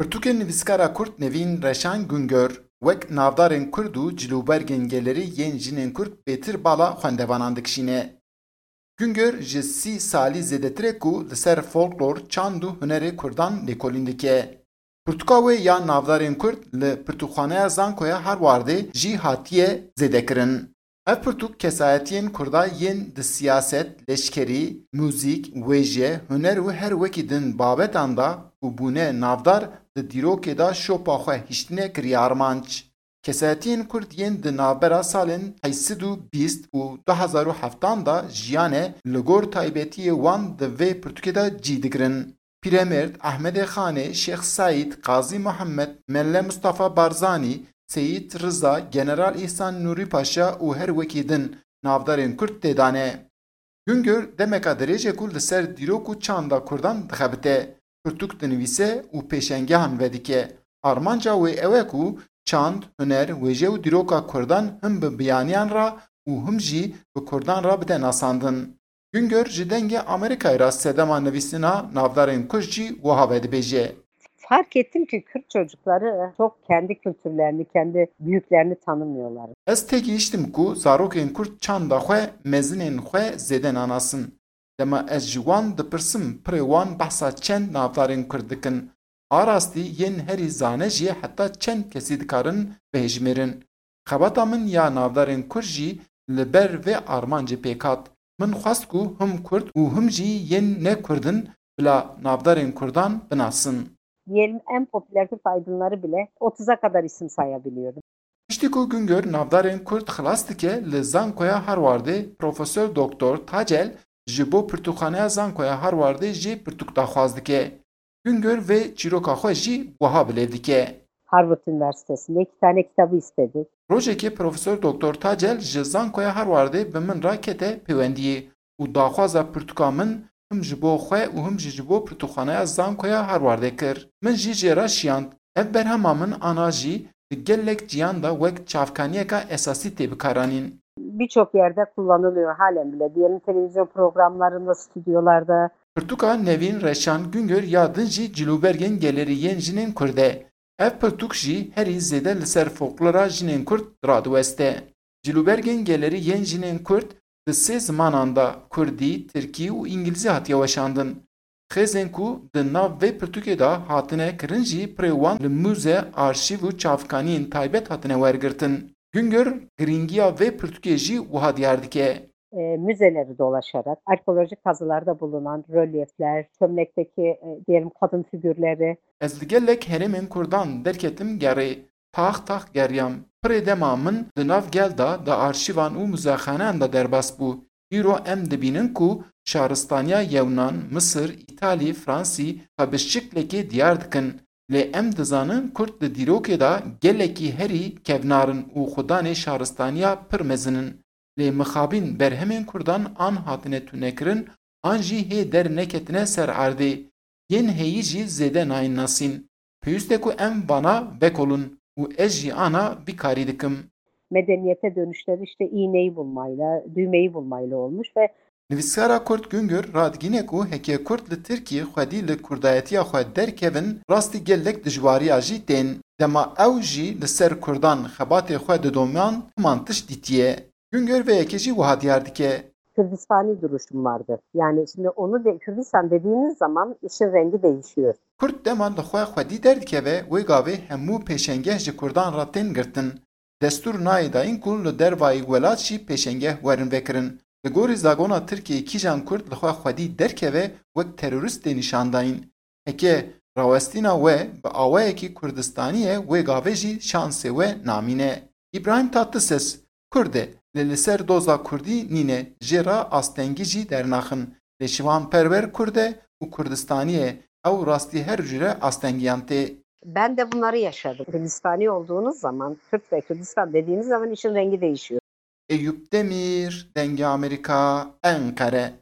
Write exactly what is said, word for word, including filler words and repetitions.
Pirtûkên nivîskara Kurd Nevîn Reşan Güngör wek navdarên Kurd û cilûbergên gelerî yên jinên Kurd bêtir bala xwendevanan dikişîne. Güngör ji sî salî zêdetir e ku li ser folklor, çand û hunerê Kurdan lêkolîn dike. Pirtûka wê ya navdarên Kurd li Pirtûkxaneya Zankoya Harwardê jî hatiye zêdekirin. Ev pirtûk kesayetiyên Kurda yên di siyaset, leşkerî, muzîk, wêje, huner û her wekî din babetan de ku bûne navdar, di dîrokê de şopa xwe hiştine kiriye armanc. Kesayetiyên Kurd yên di navbera salên heyşt sed û bîst û du hezar û heft de jiyane li gor taybetiyê wan di vê pirtûkê de cî digirin. Pîremêrd Ehmedê Xanê, Şêx Seîd, Qazî Muhammed, Melle Mustafa Barzanî, Seyîd Riza, General Îhsan Nûrî Paşa û her wekî din navdarên Kurd tê de ne. Güngör demeka dirêj e ku li ser dîrok û çanda Kurdan dixebite, pirtûk dinivîse û pêşengehan vedike. Armanca wê ew e ku çand, huner, wêje û dîroka Kurdan him bi biyaniyan re û him jî bi Kurdan re bide nasandin. Güngör ji Dengê Amerîkayê re sedema nivîsina navdarên Kurd jî wiha vedibêje. Fark ettim ki Kürt çocukları çok kendi kültürlerini, kendi büyüklerini tanımıyorlar. Ez têgihiştim ku zarokên Kurd çanda xwe, mezinên xwe zêde nanasin. Dema ez ji wan dipirsim, pirê wan behsa çend navdarên Kurd dikin. A rastî yên herî zane jî heta çend kesî dikarin bihejmêrin. Xebata min ya navdarên Kurd jî li ber vê armancê pêk hat. Min xwest ku him Kurd û him jî yên ne Kurd in bila navdarên Kurdan binasin. Diyelim en popüler Türk aydınları bile otuza kadar isim sayabiliyorum. Piştî ku Güngör navdarên Kurd xilas dike, li Zankoya Harwardê Profesor Doktor Tacel ji bo Pirtûkxaneya Zankoya Harwardê jî pirtûk daxwaz dike. Güngör vê çîroka xwe jî wiha bilêv dike. Harvard Üniversitesi'nde iki tane kitabı istedik. Rojekê Profesor Doktor Tacel ji Zankoya Harwardê bi min re kete pêwendiyê û daxwaza pirtûka min him ji bo xwe û him jî ji bo pirtûkxaneya Zankoya Harwardê kir. Min jî jê re şiyand. Ev berhema min ana jî di gelek ciyan de wek çavkaniyeka esasî tê bikaranîn. Birçok yerde kullanılıyor halen bile. Diyelim televizyon programlarında, stüdyolarda. Pirtûka Nevîn Reşan Güngör ya din jî cilûbergên gelerî yên jinên Kurd e. Ev pirtûk jî herî zêde li ser folklora jinên Kurd radiweste. Cilûbergên gelerî yên jinên Kurd di sê zimanan de, Kurdî, Tirkî û Îngilîzî hatiye weşandin. Xêzên ku di nav vê pirtûkê de hatine kirin jî pirê wan li mûze, arşîv û çavkaniyên taybet hatine wergirtin. Güngör girîngiya vê pirtûkê jî wiha diyar dike. E, müzeleri dolaşarak arkeolojik kazılarda bulunan rölyefler, çömlekteki e, diyelim kadın figürleri. Ez li gelek herêmên Kurdan derketim gerê, tax tax geriyam. Pirê dema min di nav gel de, di arşîvan û muzexaneyan de derbas bû. Îro em dibînin ku şaristaniya Yewnan, Misir, Îtalî, Fransî xwe bi şiklekê diyar dikin. Lê em dizanin Kurd di dîrokê de gelekî herî kevnar in û xudanê şaristaniya pir mezin in. Lê mixabin berhemên Kurdan an hatine tunekirin an jî hê derneketine ser erdê. Yên heyî jî zêde nayên nasîn. Pêwîst e ku em vana vekolin û ez jî ana vî karî dikim. Medeniyete dönüşleri işte iğneyi bulmayla, düğmeyi bulmayla olmuş ve Nivîskara Kurd Güngör radigîne ku heke Kurd li Tirkiyê xwedî li kurdayetiya xwe derkevin, rastî gelek dijwariya jî tên. Dema ew jî li ser Kurdan xebatê xwe didoman, himan tişt dîtiye. Güngör vê yekê jî wiha diyar dike. Kürdistani duruşum vardır. Yani şimdi onu de, Kürdistan dediğiniz zaman işin rengi değişiyor. Kurd dema li xwe xwedî derdikeve, wê gavê hemû pêşengeh ji Kurdan re tên girtin. Destûr nayê dayîn ku li dervayî welat jî pêşengeh werin vekirin. Li gorî zagona Tirkiyê kîjan Kurd li xwe xwedî derkeve wek terorîst tê nîşandayîn. Heke rawestîna we bi awayekî Kurdistanî ye, wê gavê jî şansê we namîne. Îbrahîm Tatlises Kurd e, lê li ser doza Kurdî nîne, jê re astengî jî dernaxin. Lê Şivan Perwer Kurd e û Kurdistanî ye, ew rastî her cure astengiyan tê. Ben de bunları yaşadım. Kürdistani olduğunuz zaman, Kürt ve Kürdistan dediğiniz zaman işin rengi değişiyor. Eyüp Demir, Dengê Amerîka, Enqere.